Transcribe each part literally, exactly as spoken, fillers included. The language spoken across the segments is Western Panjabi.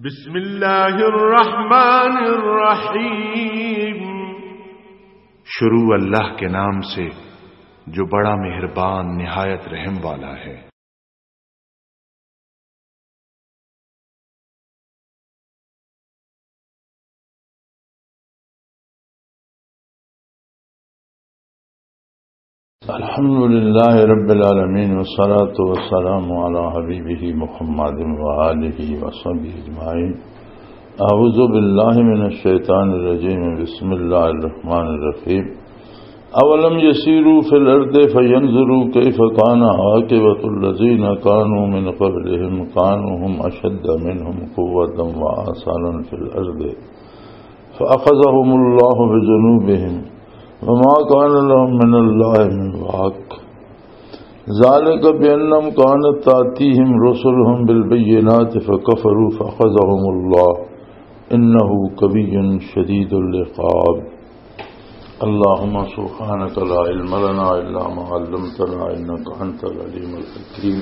بسم اللہ الرحمن الرحیم۔ شروع اللہ کے نام سے جو بڑا مہربان نہایت رحم والا ہے۔ الحمد لله رب العالمين، والصلاة والسلام على حبيبه محمد وآله وصحبه أجمعين. أعوذ بالله من الشيطان الرجيم. بسم الله الرحمن الرحيم. أولم يسيروا في الأرض فينظروا كيف كان عاقبة الذين كانوا من قبلهم، كانوا هم أشد منهم قوة وآثارا في الأرض، فأخذهم الله بذنوبهم، وما كان لهم من الله من واق. ذلك بأنهم كانت تأتيهم رسلهم بالبينات فكفروا فأخذهم الله، إنه قوي شديد العقاب. اللهم سبحانك لا علم لنا إلا ما علمتنا إنك أنت العليم الحكيم.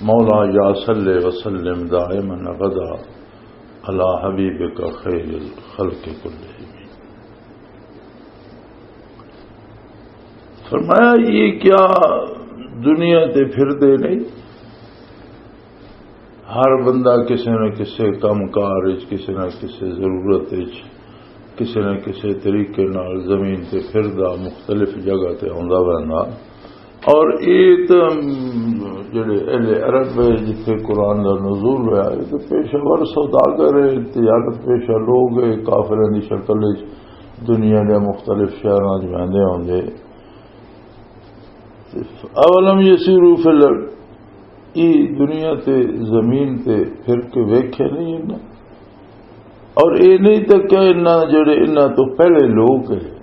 مولاي صل وسلم دائما أبدا على حبيبك خير الخلق كلهم. فرمایا، یہ کیا دنیا تے پھر دے نہیں؟ ہر بندہ کسی نہ کسی کم کار وچ، کسی نہ کسی ضرورت وچ، کسی نہ کسی طریقے نال زمین تے پھردا، مختلف جگہ تے آندا ویندا۔ اور یہ تو جڑے اہل عرب ہے، جتھے قرآن دا نزول ہویا، یہ تو پیشہ ور سوداگر ہے، تجارت پیشہ لوگ ہے، کافروں دی شکل وچ دنیا دے مختلف شہراں وچ ویندے ہوندے۔ اولم یسیروا فی الارض، ای دنیا تے، زمین تے پھر کے ویکھے نہیں انہاں؟ اور اے نہیں تکیا انہاں، جڑے انہاں تو پہلے لوگ ہیں،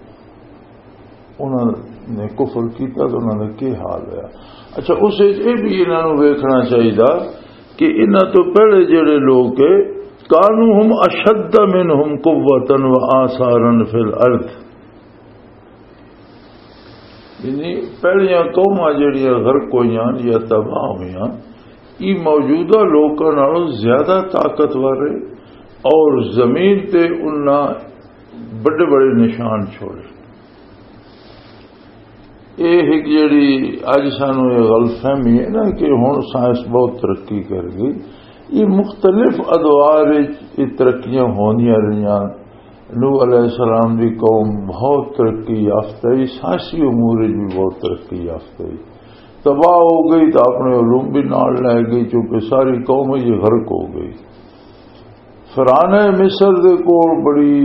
انہاں نے کفر کیتا تو انہاں دا کی حال ہویا؟ اچھا، اس وچ اے بھی انہاں نوں ویکھنا چاہیدا کہ انہاں تو پہلے جڑے لوگ ہیں، کانوا ہم اشد منہم قوۃ و آثارا فی الارض۔ یعنی پہلیاں قوماں جڑیاں غرق ہوئیاں یا تباہ ہوئیاں، یہ موجودہ لوکاں نالوں زیادہ طاقتور ہے اور زمین تے انہاں بڑے بڑے نشان چھوڑے۔ یہ ایک جڑی اج سانو یہ غلط فہمی ہے نا کہ ہن سائنس بہت ترقی کر گئی، یہ مختلف ادوار وچ یہ ترقیاں ہوندیاں رہیاں۔ نوح علیہ السلام دی قوم بہت ترقی یافتہ ہی، سائنسی امور وچ بھی بہت ترقی یافتہ ہی۔ تباہ ہو گئی تو اپنے علوم بھی نال لے گئی، چونکہ ساری قوم ہی غرق ہو گئی۔ فرعون مصر دے کول بڑی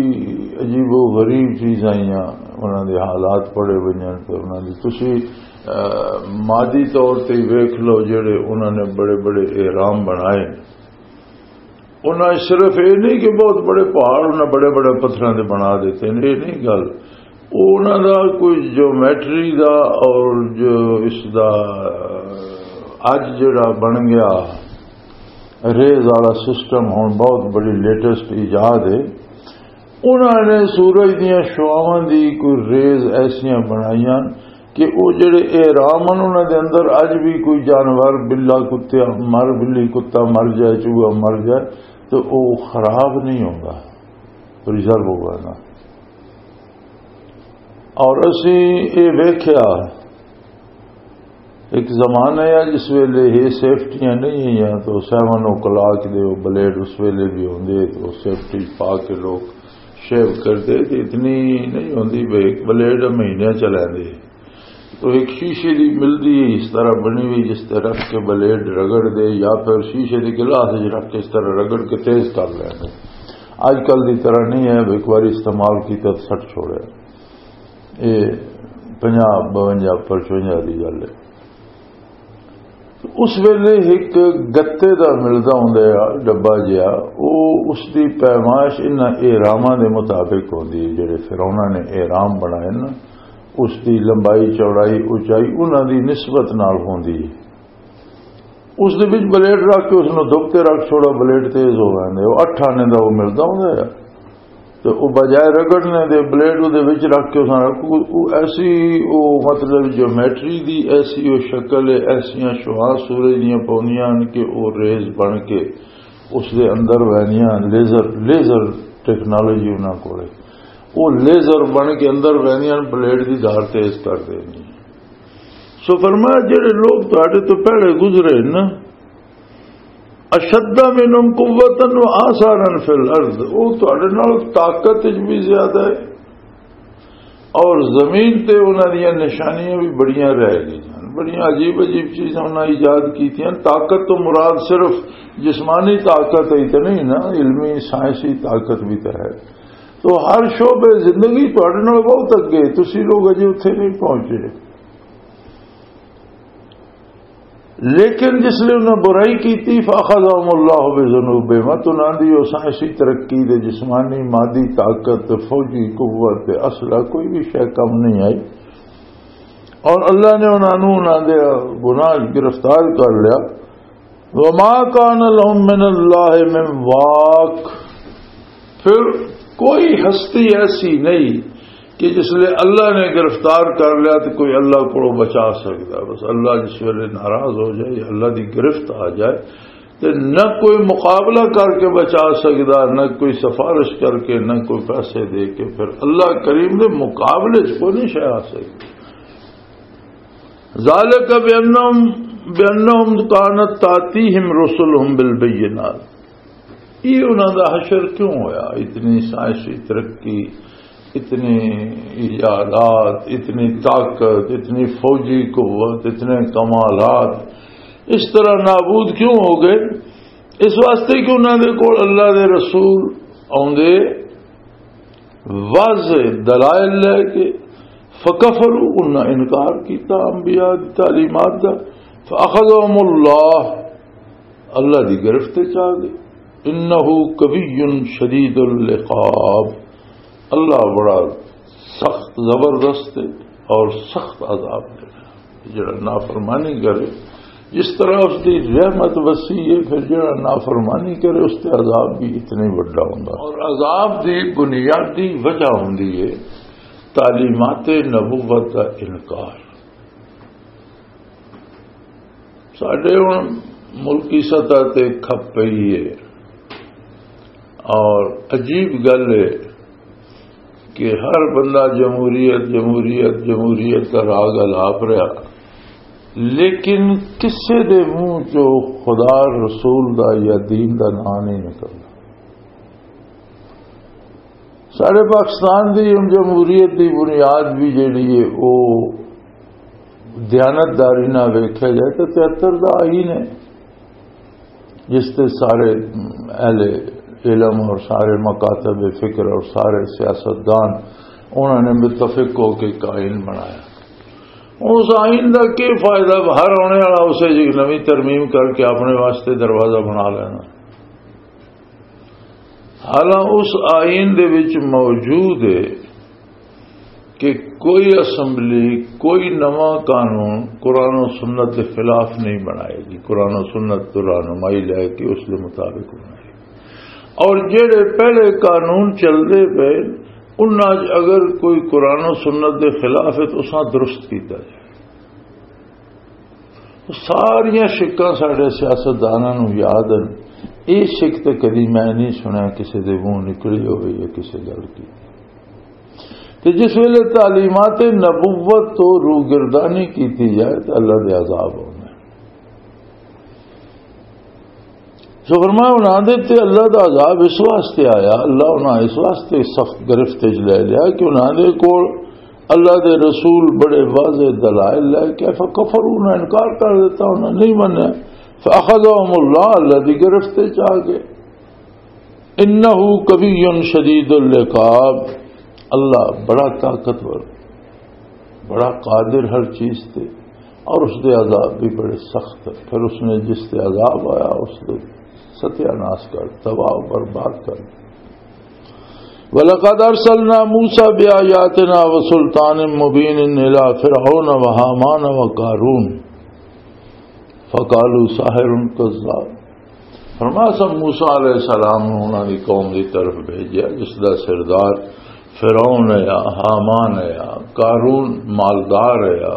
عجیب و غریب چیزاں آئیاں، انہاں دے حالات پڑھے ونجن تے انہاں دی تسی، آ، مادی طور تے ویکھ لو، جڑے انہاں نے بڑے بڑے اہرام بنائے۔ انہاں صرف یہ نہیں کہ بہت بڑے پہاڑ انہاں بڑے بڑے پتھراں دے بنا دیتے ہیں، یہ نہیں گل۔ وہ انہاں دا کوئی جیومیٹری دا اور جو اس دا اج جڑا بن گیا ریز والا سسٹم، ہن بہت بڑی لیٹسٹ ایجاد ہے۔ انہاں نے سورج دیاں شعاواں دی کوئی ریز ایسیاں بنائیاں کہ او جڑے احرام ہن، انہاں دے اندر اج بھی کوئی جانور، بلا، کتے مر، بلی، کتا مر جائے، چوہا مر جائے، تو او خراب نہیں ہوندا، پریزرو ہوگا نا۔ اور اسی اے ویکھیا، ایک زمانہ ہے جس ویلے یہ سیفٹیاں نہیں ہیں، تو سیون او کلاک دے وہ بلیڈ اس ویلے بھی ہوندے، تو سیفٹی پا کے لوگ شیو کردے، تو اتنی نہیں ہوندی بھئی، ایک بلیڈ مہینے چلے دے۔ تو ایک شیشے دی ملدی ہے، اس طرح بنی ہوئی، جس تے رکھ کے بلیڈ رگڑ دے، یا پھر شیشے دی گلاس وچ رکھ کے اس طرح رگڑ کے تیز کر لیندے۔ آج کل دی طرح نہیں ہے، ایک بار استعمال کیتا تو سٹ چھوڑے۔ یہ پنجاہ، بونجا، پچونجا دی گل ہے۔ اس ویلے ایک گتے دا ملدا ہوندا ہے ڈبا جہا، او اس دی پیمائش انہاں احراماں دے مطابق ہوندی ہے، جڑے فرعوناں نے احرام بنائے نا، اس دی لمبائی، چوڑائی، اونچائی انہاں دی نسبت نال ہوندی ہے۔ اس دے وچ بلیڈ رکھ کے اس نوں دھپ تے رکھ چھوڑا، بلیڈ تیز ہو ویندے۔ او اٹھ آنے دا او ملدا ہوندا ہے۔ تے او بجائے رگڑنے دے بلیڈ اودے وچ رکھ کے اس نال رکھو، او ایسی، او مطلب جیومیٹری دی ایسی او شکل ہے، ایسیاں شعاع سورج دیاں پوندیاں ہن کہ او ریز بن کے اس دے اندر وینیاں، لیزر، لیزر ٹیکنالوجی انہاں کول ہے۔ وہ لیزر بن کے اندر وینیاں، بلیڈ دی دھار تیز کر دینی۔ سو فرمایا، جڑے لوگ تہاڈے تو پہلے گزرے نا، اشد منهم قوة و آثارا فی الارض، وہ تہاڈے نال طاقت وچ بھی زیادہ ہے، اور زمین تے انہاں دیاں نشانیاں بھی بڑیاں رہ گئیاں، بڑیاں عجیب عجیب چیزاں انہاں ایجاد کیتیاں۔ طاقت تو مراد صرف جسمانی طاقت ہی تو نہیں نا، علمی سائنسی طاقت بھی تو ہے۔ تو ہر شعبے زندگی تہاڈے نال بہت اگے، تسی لوگ اجے اتھے نہیں پہنچے۔ لیکن جس لئے انہاں برائی کیتی، فَأَخَذَهُمُ اللَّهُ بِذُنُوبِهِمْ، تو انہاں دی اس ایسی ترقی دے، جسمانی، مادی طاقت، فوجی قوت، اسلحہ، کوئی بھی شے کم نہیں آئی، اور اللہ نے انہاں نوں انہاں دے گناہ گرفتار کر لیا۔ وَمَا كَانَ لَهُم مِّنَ اللَّهِ مِن وَاقٍ، پھر کوئی ہستی ایسی نہیں کہ جس لئے اللہ نے گرفتار کر لیا تو کوئی اللہ کو بچا سکتا۔ بس اللہ جس ویلے ناراض ہو جائے، اللہ دی گرفت آ جائے، تو نہ کوئی مقابلہ کر کے بچا سکتا، نہ کوئی سفارش کر کے، نہ کوئی پیسے دے کے۔ پھر اللہ کریم دے مقابلے چ کوئی نہیں شے آ سکتی۔ ذالک بانہم، بانہم کانت تاتیہم رسلہم بالبینات۔ یہ انہاں دا حشر کیوں ہویا؟ اتنی سائنسی ترقی، اتنی ایجادات، اتنی طاقت، اتنی فوجی قوت، اتنے کمالات، اس طرح نابود کیوں ہو گئے؟ اس واسطے کہ انہاں دے کول اللہ دے رسول آوندے، واضح دلائل لے کے، فکفروا، انہاں انکار کیتا انبیاء دی تعلیمات دا، فاخذہم اللہ، اللہ دی گرفت وچ آ گئے۔ انہ قوی شدید العقاب، اللہ بڑا سخت زبردست ہے اور سخت عذاب دینا۔ جڑا نافرمانی کرے، جس طرح اس دی رحمت وسیع ہے، پھر جڑا نافرمانی کرے، اس تے عذاب بھی اتنا ہی وڈا ہوندا۔ اور عذاب دی بنیادی وجہ ہوندی ہے تعلیمات نبوت دا انکار۔ ساڈے ہن ملکی سطح تے کھپ پئی ہے، اور عجیب گل ہے کہ ہر بندہ جمہوریت، جمہوریت، جمہوریت دا راگ الاپ رہا، لیکن کسے دے منہ چوں خدا، رسول دا یا دین دا نام نہیں نکلدا۔ سارے پاکستان دی ہن جمہوریت دی بنیاد بھی جیڑی ہے، وہ دیانتداری نہ ویکھیا جائے تو تہتر دا آئین ہے، جس تے سارے اہل علم اور سارے مکاتب فکر اور سارے سیاستدان، انہوں نے متفق ہو کے ایک آئین بنایا۔ اس آئین دا کی فائدہ؟ ہر آنے والا اسے جی نویں ترمیم کر کے اپنے واسطے دروازہ بنا لینا۔ حالانکہ اس آئین دے وچ موجود ہے کہ کوئی اسمبلی، کوئی نواں قانون قرآن و سنت دے خلاف نہیں بنائے گی، قرآن و سنت تو رہنمائی لے کے اس دے مطابق بنائے گی۔ اور جڑے پہلے قانون چلدے پے، انہاں چ اگر کوئی قرآن و سنت دے خلاف ہے تو اساں درست کیتا جائے۔ ساریاں شکاں ساڈے سیاستداناں نوں یاد ہن۔ یہ شک تے کدی میں نہیں سنیا کسی دے منہ نکلی ہوئے یا کسی گل کی۔ تے جس ویلے تعلیمات نبوت تو روگردانی کیتی جائے تو اللہ دے عذاب ہوندے۔ سو فرمایا، انہاں دے تے اللہ دا عذاب اس واسطے آیا، اللہ انہاں اس واسطے سخت گرفت وچ لے لیا کہ انہاں دے کول اللہ دے رسول بڑے واضح دلائل لے کے، فکفروا، انہاں انکار کر دیتا، انہاں نہیں منیا۔ فاخذہم اللہ، اللہ دی گرفت وچ آ گئے۔ انہ قوی شدید العقاب، اللہ بڑا طاقتور، بڑا قادر ہر چیز تے، اور اس دے عذاب بھی بڑے سخت ہیں۔ پھر اس نے جس تے عذاب آیا، اس دے ستیاناش کر، تباہ و برباد کر۔ وَلَقَدْ أَرْسَلْنَا مُوسَىٰ بِآيَاتِنَا وَسُلْطَانٍ مُّبِينٍ إِلَىٰ فِرْعَوْنَ وَهَامَانَ وَقَارُونَ فَقَالُوا سَاحِرٌ كَذَّابٌ۔ فرمایا، اساں موسیٰ علیہ السلام نوں انہاں دی قوم دی طرف بھیجیا، جس دا سردار فرعون ہے، ہامان ہے، قارون مالدار ہے،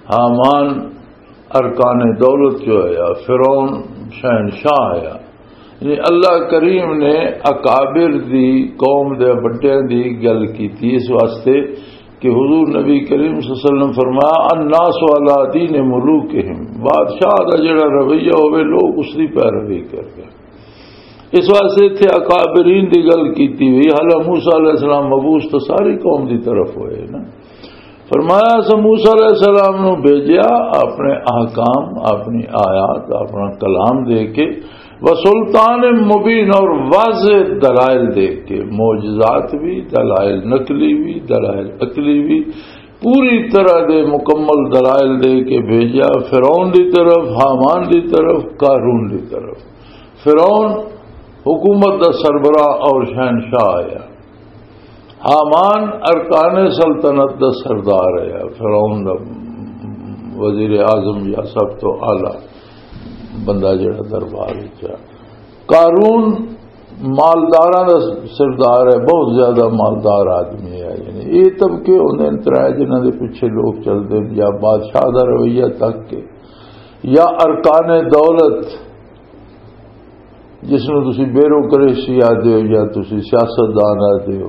ہامان ارکان دولت جو ہے، فرعون شہنشاہ ہے۔ یعنی اللہ کریم نے اکابر دی، قوم دے بڑیاں دی گل کیتی اس واسطے کہ حضور نبی کریم صلی اللہ علیہ وسلم فرمایا، "الناس علی دین ملوکہم"، بادشاہ دا جڑا رویہ ہوئے، لوگ اس دی پیروی کر گئے۔ اس واسطے اتھے اکابرین دی گل کیتی ہوئی۔ حالانکہ موسیٰ علیہ السلام مبعوث تو ساری قوم دی طرف ہوئے نا۔ فرمایا، اساں موسیٰ علیہ السلام نو بھیجیا اپنے احکام، اپنی آیات، اپنا کلام دے کے، وسلطان مبین، اور واضح دلائل دے کے، معجزات بھی، دلائل نقلی بھی، دلائل عقلی بھی، پوری طرح دے مکمل دلائل دے کے بھیجیا فرعون دی طرف، ہامان دی طرف، قارون دی طرف۔ فرعون حکومت دا سربراہ اور شہنشاہ آیا۔ ہامان ارکان سلطنت دا سردار ہے، فرعون دا وزیر اعظم یا سب تو اعلیٰ بندہ جڑا دربار وچ ہے۔ قارون مالداراں دا سردار ہے، بہت زیادہ مالدار آدمی ہے۔ یعنی یہ طبقے ہوندے نے ترے جنہاں دے پیچھے لوگ چلدے نے، یا بادشاہ دا رویہ تک کے، یا ارکان دولت، جس نوں تسی بیوروکریسی آدھے ہو یا تسی سیاستدان آدھے ہو،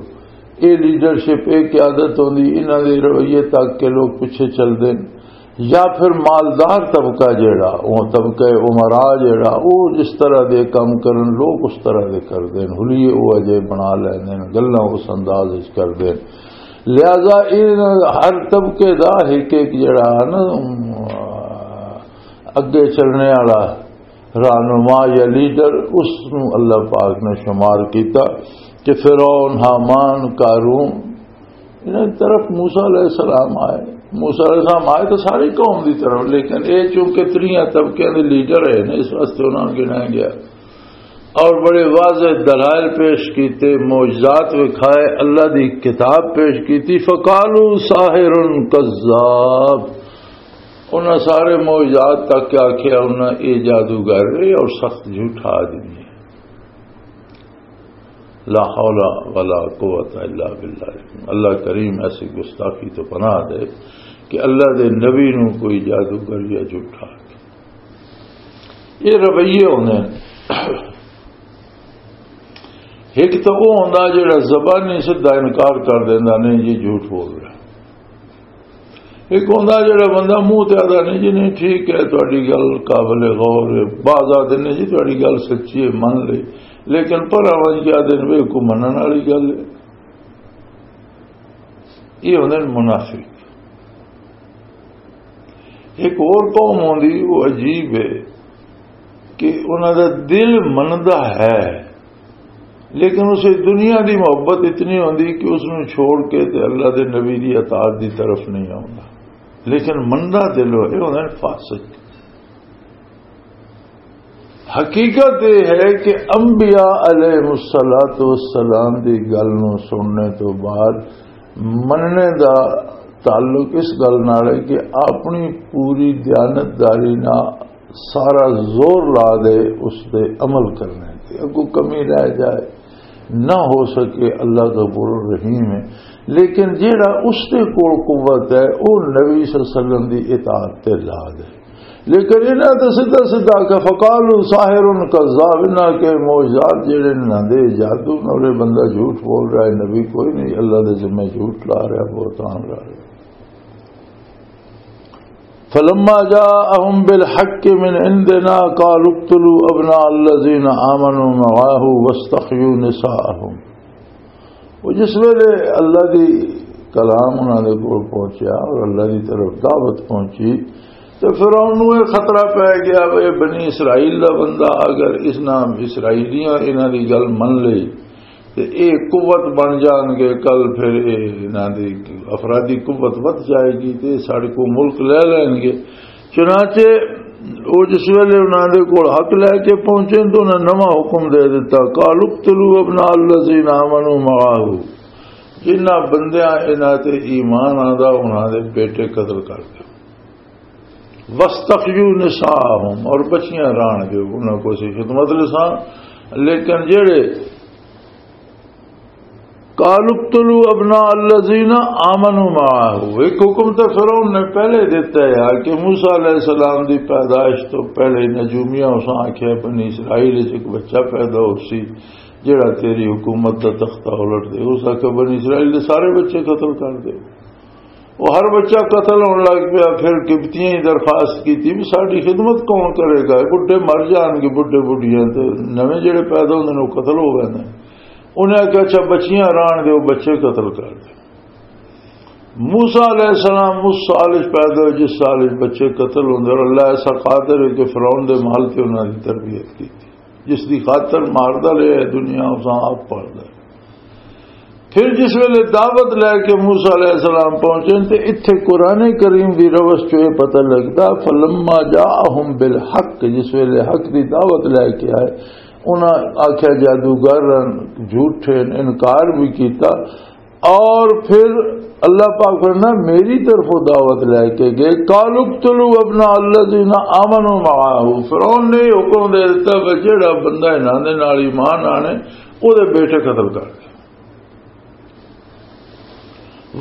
اے لیڈرشپ، اے قیادت ہوندی، انہاں دے رویے تک کے لوگ پیچھے چلدے نے۔ یا پھر مالدار طبقہ جیڑا، او طبقہ امراء جیڑا، او جس طرح دے کم کرن، لوگ اس طرح دے کردے نے، حلیے او اجے بنا لیندے نے، گلاں اس انداز وچ کردے نے۔ لہذا اے ہر طبقے دا ایک ایک جیڑا ہے نا، اگے چلنے والا رہنما یا لیڈر، اس نو اللہ پاک نے شمار کیتا کہ فرعون، ہامان، قارون، انہاں دی طرف موسیٰ علیہ السلام آئے۔ موسیٰ علیہ السلام آئے تو ساری قوم دی طرف، لیکن اے چونکہ تریاں طبقیاں دے لیڈر ہے نا، اس واسطے انہاں نوں گنایا گیا۔ اور بڑے واضح دلائل پیش کیتے، معجزات وکھائے، اللہ دی کتاب پیش کیتی۔ فقالوا ساحر کذاب، انہاں سارے معجزات تک کے آکھیا، انہاں اے جادوگر ہے اور سخت جھوٹا آدمی ہے۔ لا حول ولا قوت الا باللہ۔ اللہ کریم ایسی گستاخی تو پناہ دے کہ اللہ دے نبی نو کوئی جادوگر یا جھوٹا۔ یہ رویے ہوندے نے۔ ایک تو وہ ہوندا جڑا زبانی سدھا انکار کر دیندا، نہیں جی، جھوٹ بول رہا۔ ایک ہوندا جڑا بندہ منہ تے آہدا، نہیں جی، نہیں، ٹھیک ہے، تہاڈی گل قابل غور ہے۔ بعض آہدے نے جی، تہاڈی گل سچی ہے، من لے، لیکن پر آواز کیا دن وے کو منن والی گل ہے۔ یہ ہوندے نے منافق۔ ایک اور قوم ہوندی، وہ عجیب ہے کہ انہاں دا دل مندا ہے، لیکن اسے دنیا دی محبت اتنی ہوندی کہ اس نوں چھوڑ کے تے اللہ دے نبی دی اطاعت دی طرف نہیں آوندا، لیکن مندا دل ہوئے، یہ ہوندے نے فاسق۔ حقیقت یہ ہے کہ انبیاء علیہ الصلوۃ والسلام دی گل نوں سننے تو بعد مننے دا تعلق اس گل نال ہے کہ اپنی پوری دیانتداری نال سارا زور لا دے اس دے عمل کرنے تے، اگوں کمی رہ جائے، نہ ہو سکے، اللہ غفور الرحیم ہے۔ لیکن جیڑا اس دے کول قوت ہے، او نبی صلی اللہ علیہ وسلم دی اطاعت تے لا دے۔ لیکن انہاں تے سیدھا سیدھا کہ فقالوا ساحر کذاب، انہاں کے معجزات جڑے انہاں دے جادو نورے، بندہ جھوٹ بول رہا ہے، نبی کوئی نہیں، اللہ دے ذمہ جھوٹ لا رہا ہے، بہتان لا رہا ہے۔ فلما جاءهم بالحق من عندنا قالوا اقتلوا ابناء الذين آمنوا معه واستحيوا نساءهم۔ وہ جس ویلے اللہ دی کلام انہاں دے کول پہنچیا اور اللہ دی طرف دعوت پہنچی، تو فرعون نوں یہ خطرہ پہ گیا، اے بنی اسرائیل دا بندہ، اگر اس نام اسرائیلیاں انہاں دی گل من لئی تے اے قوت بن جان گے، کل پھر اے انہاں دی افرادی قوت ودھ جائے گی تے ساڈے کو ملک لے لین گے۔ چنانچہ او جس ویلے انہاں دے کول حق لے کے پہنچے تو انہاں نواں حکم دے دتا، "قالوا اقتلوا ابناء الذين آمنوا معه"، جنہاں بندیاں انہاں تے ایمان آندا انہاں دے بیٹے قتل کر دے۔ "واستحيوا نساءهم"، اور بچیاں رہن دے انہاں کو سی خدمت لساں، لیکن جڑے قالوا اقتلوا ابناء الذين آمنوا معه۔ ایک حکم تو فرعون نے پہلے دیتا ہے کہ موسیٰ علیہ السلام دی پیدائش تو پہلے نجومیاں اس آکھیا، بنی اسرائیل وچ ایک بچہ پیدا ہو سی جڑا تیری حکومت دا تختہ الٹ دے۔ اس آکھیا، بنی اسرائیل دے سارے بچے قتل کر دے۔ وہ ہر بچہ قتل ہونے لگ پیا۔ پھر قبطیاں ہی درخواست کی تھی، "بھی ساری خدمت کون کرے گا؟ بڈھے مر جان گے، بڈھے بڈھیاں تے نویں جڑے پیدا ہوندے نے، وہ قتل ہو گئے نے۔" انہیں آکھیا، "اچھا، بچیاں رہن دے، وہ بچے قتل کر دے۔" موسیٰ علیہ السلام اس سال وچ پیدا ہوئے، جس سال وچ بچے قتل ہوندے، اور اللہ ایسا قادر ہے کہ فرعون دے محل تے انہاں دی تربیت کی تھی۔ جس دی خاطر ماردا لیا ہے دنیا، اساں آپ پالدا ہے۔ پھر جس ویلے دعوت لے کے موسیٰ علیہ السلام پہنچے تے اتھے قرآن کریم دی روش چوں یہ پتہ لگدا، "فلما جاءہم بالحق"، جس ویلے حق دی دعوت لے کے آئے، انہاں آکھیا جادوگر ہن، جھوٹے ہن، انکار بھی کیتا۔ اور پھر اللہ پاک فرمایا، میری طرفوں دعوت لے کے گئے، "قالوا اقتلوا ابناء الذين آمنوا معه"، فرعون نے حکم دے دیتا کہ جڑا بندہ انہاں دے نال ایمان آنے، او دے بیٹے قتل کر دے۔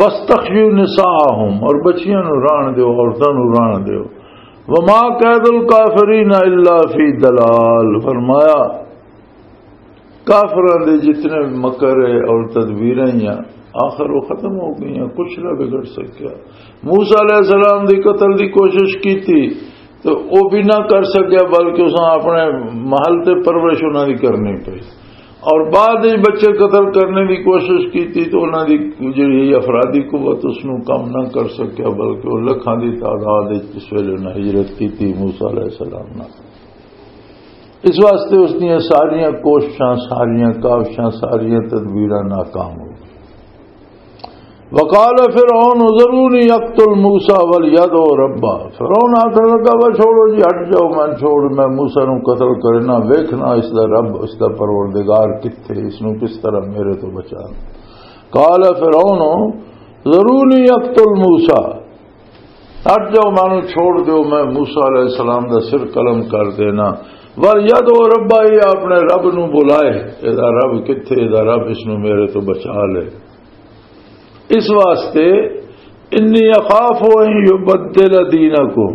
"واستحيوا نساءهم"، اور بچیاں نو ران دیو، عورتاں نو ران دیو۔ "وما كيد الكافرين إلا في ضلال"، فرمایا کافراں دے جتنے مکر ہے اور تدبیراں ہی ہیں، آخر وہ ختم ہو گئی ہیں، کچھ نہ بگڑ سکیا۔ موسیٰ علیہ السلام دی قتل دی کوشش کی تھی تو وہ بھی نہ کر سکیا، بلکہ اس نے اپنے محل تے پرورش انہاں دی کرنی پئی۔ اور بعد وچ بچے قتل کرنے دی کوشش کی تھی تو انہاں دی جڑی افرادی قوت اس نو کم نہ کر سکیا، بلکہ وہ لکھاں دی تعداد وچ اس ویلے انہاں ہجرت کی تھی موسیٰ علیہ السلام نال۔ اس واسطے اس دیاں ساریاں کوششاں، ساریاں کاوشاں، ساریاں تدبیراں ناکام ہو گئیں۔ وقال فرعون ذرونی اقتل موسیٰ ولیدع ربہ۔ فرعون آخر لگا، "وہ چھوڑو جی، ہٹ جاؤ، میں چھوڑ، میں موسیٰ نو قتل کرنا، ویکھنا اس دا رب، اس دا پروردگار کتھے، اس نو کس طرح میرے تو بچانا۔" قال فرعون ذرونی اقتل موسیٰ، ہٹ جاؤ، مینوں چھوڑ دیو، میں موسیٰ علیہ السلام دا سر قلم کر دینا۔ وَلْيَدْعُ رَبَّهُ، یہ اپنے رب نو بلائے، اے دا رب کتھے، اے دا رب اس نو میرے تو بچا لے۔ اس واسطے، انی اخاف ان یبدل دینکم،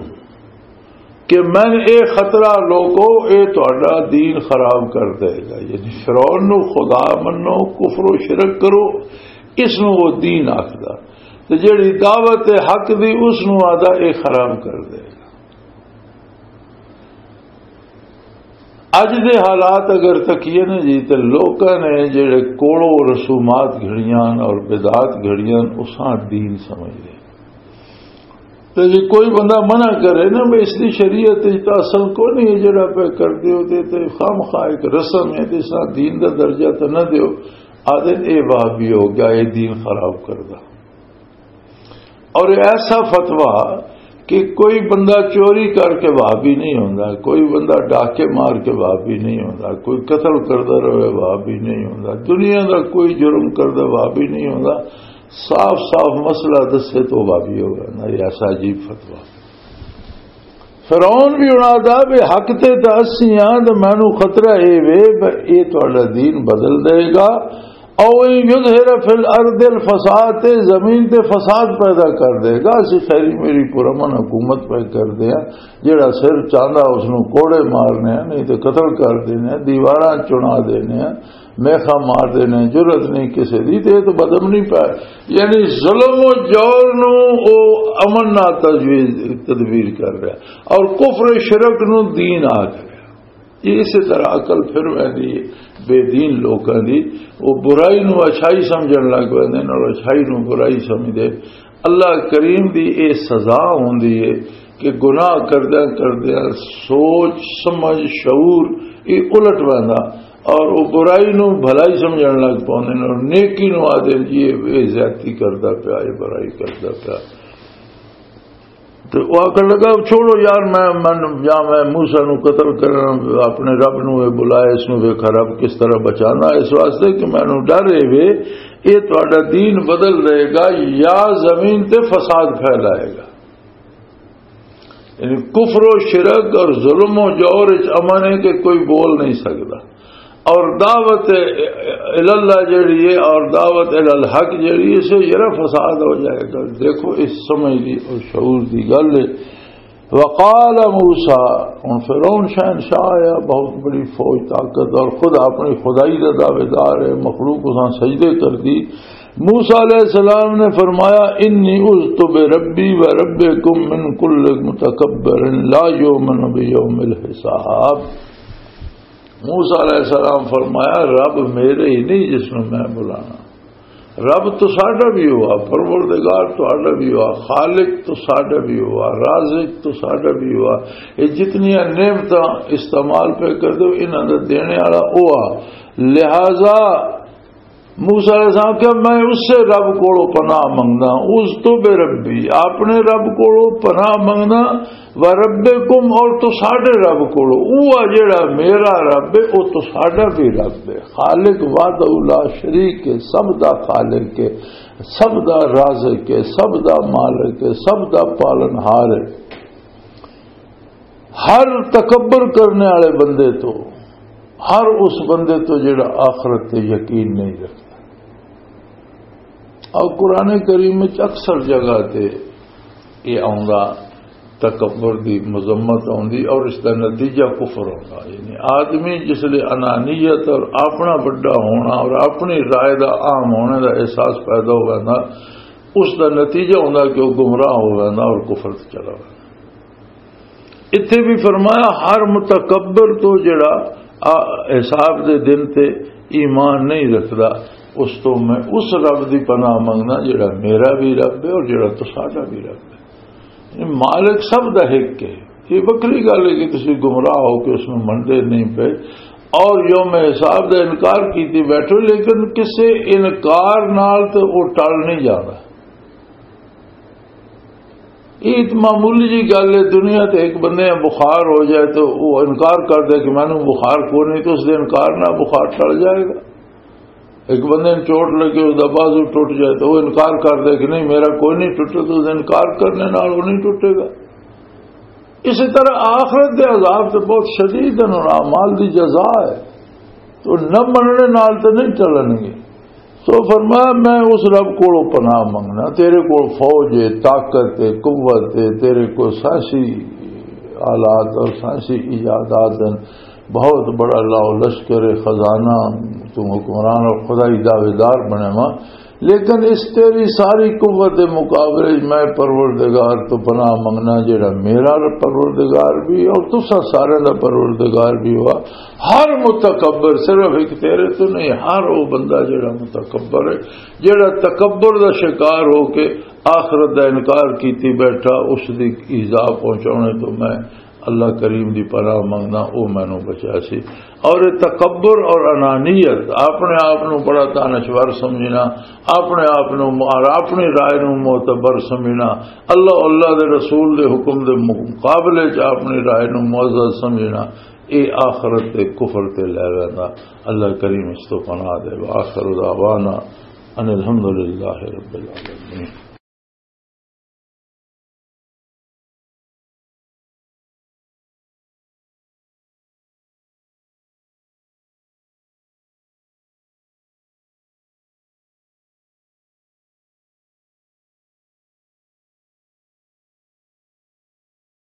کہ میں اے خطرہ لوکو، اے تہاڈا دین خراب کر دے گا۔ یعنی فرعون نو خدا منو، کفر و شرک کرو، اس نو وہ دین آکھدا۔ تے جیڑی دعوت حق دی، اس نو آدا اے خراب کر دے گا۔ اج دے حالات اگر تکیے نا جی، تے لوکاں نے جیڑے کوڑوں رسومات گھڑیاں اور بدعات گھڑیاں، اساں دین سمجھ لے۔ تے جے کوئی بندہ منع کرے نا، بھئی اس دی شریعت وچ تاں اصل کوئی نہیں ہے، جڑا پہ کر دیو تے، تے خام خواہ ایک رسم ہے، تے اس نال دین دا درجہ تے نہ دیو، آدھے اے وہابی ہو گیا، اے دین خراب کردا۔ اور ایسا فتویٰ کہ کوئی بندہ چوری کر کے وہابی نہیں ہوندا، کوئی بندہ ڈاکے مار کے وہابی نہیں ہوندا، کوئی قتل کردا رہے وہابی نہیں ہوندا، دنیا دا کوئی جرم کردا وہابی نہیں ہوندا۔ صاف صاف مسئلہ دسے تو وہابی ہو گیا نا، یہ ایسا عجیب فتویٰ۔ فرعون بھی اڑا دا بھی حق تے تے اسی ہاں، تے مینوں خطرہ اے وے بھی اے تہاڈا دین بدل دے گا۔ او ان یظہر فی الارض الفساد، تے زمین تے فساد پیدا کر دے گا۔ اسی خیری میری پرامن حکومت پہ کر دے ہیں، جیڑا سر چاہندا اس نوں کوڑے مارنے ہیں، نہیں تے قتل کر دینے ہیں، دیواراں چنا دینے ہیں۔ میخا مار دینے، جرت نہیں کسے دی، تے تو بدم نہیں پائے۔ یعنی ظلم و جور نو او امن نال تجویز، تدبیر کر رہا، اور کفر شرک نو دین آ رہا۔ یہ اسی طرح عقل پھر ویندی ہے بے دین لوکاں دی، وہ برائی نو اچھائی سمجھن لگ پیندے نے اور اچھائی نو برائی سمجھدے۔ اللہ کریم دی اے سزا ہوندی ہے کہ گناہ کردیاں کردیاں سوچ، سمجھ، شعور یہ الٹ ویندا اور وہ برائی نو بھلائی سمجھن لگ پوندے نے اور نیکی نو آدھے جی یہ، یہ زیادتی کردا پیا، یہ برائی کردا پیا۔ تو وہ آخر لگا، "چھوڑو یار، میں، میں یا میں موسیٰ نو قتل کرنا، اپنے رب نو یہ بلائے، اس نو ویکھا رب کس طرح بچانا، اس واسطے کہ مینوں ڈر اے وے، یہ تہاڈا دین بدل دے گا یا زمین تے فساد پھیلائے گا۔" یعنی کفر و شرک اور ظلم و جور وچ امن ہے کہ کوئی بول نہیں سکدا۔ اور دعوت اللہ جڑی ہے اور دعوت الحق جڑی ہے، اس سے ذرا فساد ہو جائے گا۔ دیکھو، اس سمجھ دی اور شعور دی گل ہے۔ وقال موسیٰ، ہن فرعون شہنشاہ آیا، بہت بڑی فوج طاقت، اور خود اپنی خدائی دا دعویدار ہے، مخلوق اساں سجدے کر دی۔ موسیٰ علیہ السلام نے فرمایا، "انی عذت بربی و ربکم من کل متکبر لا یؤمن بیوم الحساب۔" موسیٰ علیہ السلام فرمایا، "رب میرے ہی نہیں جس نوں میں بلانا، رب تو ساڈا بھی ہوا، پروردگار تو ساڈا بھی ہوا، خالق تو ساڈا بھی ہوا، رازق تو ساڈا بھی ہوا۔" یہ جتنیاں نعمتاں استعمال پہ کر دو، انہاں دا دینے والا ہوا۔ لہذا موسیٰ علیہ السلام کہ میں اس سے رب کولو پناہ منگدا، عذت بربی، اپنے رب کولو پناہ منگدا، و ربکم، اور تساڈے رب کولو، وہ جڑا میرا رب ہے، وہ تساڈا بھی رب ہے۔ خالق وحدہ لا شریک ہے، سب دا خالق ہے، سب دا رازق ہے، سب دا مالک ہے، سب دا پالنہار ہے۔ ہر تکبر کرنے والے بندے تو، ہر اس بندے تو جڑا آخرت تے یقین نہیں رکھتا۔ اور قرآن کریم وچ اکثر جگہ تے یہ آوندا، تکبر دی مذمت آوندی اور اس دا نتیجہ کفر ہوندا۔ یعنی آدمی جس لے انانیت اور اپنا بڑا ہونا اور اپنی رائے دا عام ہونے دا احساس پیدا ہو ویندا، اس دا نتیجہ ہوندا کہ وہ گمراہ ہو ویندا اور کفر تے چلا ویندا۔ اتھے بھی فرمایا، ہر متکبر تو جڑا آ، حساب دے دن تے ایمان نہیں رکھدا، اس تو میں اس رب دی پناہ منگنا جڑا میرا بھی رب ہے اور جڑا تساڈا بھی رب ہے۔ یعنی مالک سب دا ایک ہے۔ یہ وکری گل ہے کہ تسی گمراہ ہو کے اس میں منتے نہیں پے اور یوم حساب دا انکار کیتی بیٹھو، لیکن کسے انکار نال تے وہ ٹل نہیں جانا۔ یہ تے معمولی جی گل ہے، دنیا تے ایک بندے بخار ہو جائے تو وہ انکار کر دے کہ مینوں بخار کوئی نہیں، تو اس دے انکار نہ بخار ٹل جائے گا۔ ایک بندے نوں چوٹ لگے، اس دا بازو ٹوٹ جائے تو وہ انکار کر دے کہ نہیں، میرا کوئی نہیں ٹوٹا، تو اس دے انکار کرنے نال وہ نہیں ٹوٹے گا۔ اسی طرح آخرت دے عذاب تے بہت شدید ہیں اور اعمال دی جزا ہے، تو نہ مننے نال تے نہیں ٹلن گے۔ سو فرمایا، میں اس رب کولوں پناہ منگنا، تیرے کول فوج ہے، طاقت ہے، قوت ہے، تیرے کول سائنسی آلات اور سائنسی ایجادات ہیں، بہت بڑا لاؤ لشکر ہے، خزانہ، تم حکمران اور خدائی دعویدار بنے ماں، لیکن اس تیری ساری قوت دے مقابلے وچ میں پروردگار تو پناہ منگنا، جڑا میرا پروردگار بھی اور تسا سارے دا پروردگار بھی ہوا۔ ہر متکبر، صرف ایک تیرے تو نہیں، ہر وہ بندہ جڑا متکبر ہے، جڑا تکبر دا شکار ہو کے آخرت دا انکار کیتی بیٹھا، اس دی ایذا پہنچانے تو میں اللہ کریم دی پناہ منگنا، او مینوں بچا سی۔ اور یہ تکبر اور انانیت، اپنے آپ نو بڑا دانشور سمجھنا، اپنے آپ نو اور اپنی رائے نو معتبر سمجھنا، اللہ، اللہ دے رسول دے حکم دے مقابلے چ اپنی رائے نو معزز سمجھنا، یہ آخرت دے کفر تے لے ویندا۔ اللہ کریم اس تو پناہ دے۔ وآخر دعوانا ان الحمدللہ رب العالمین۔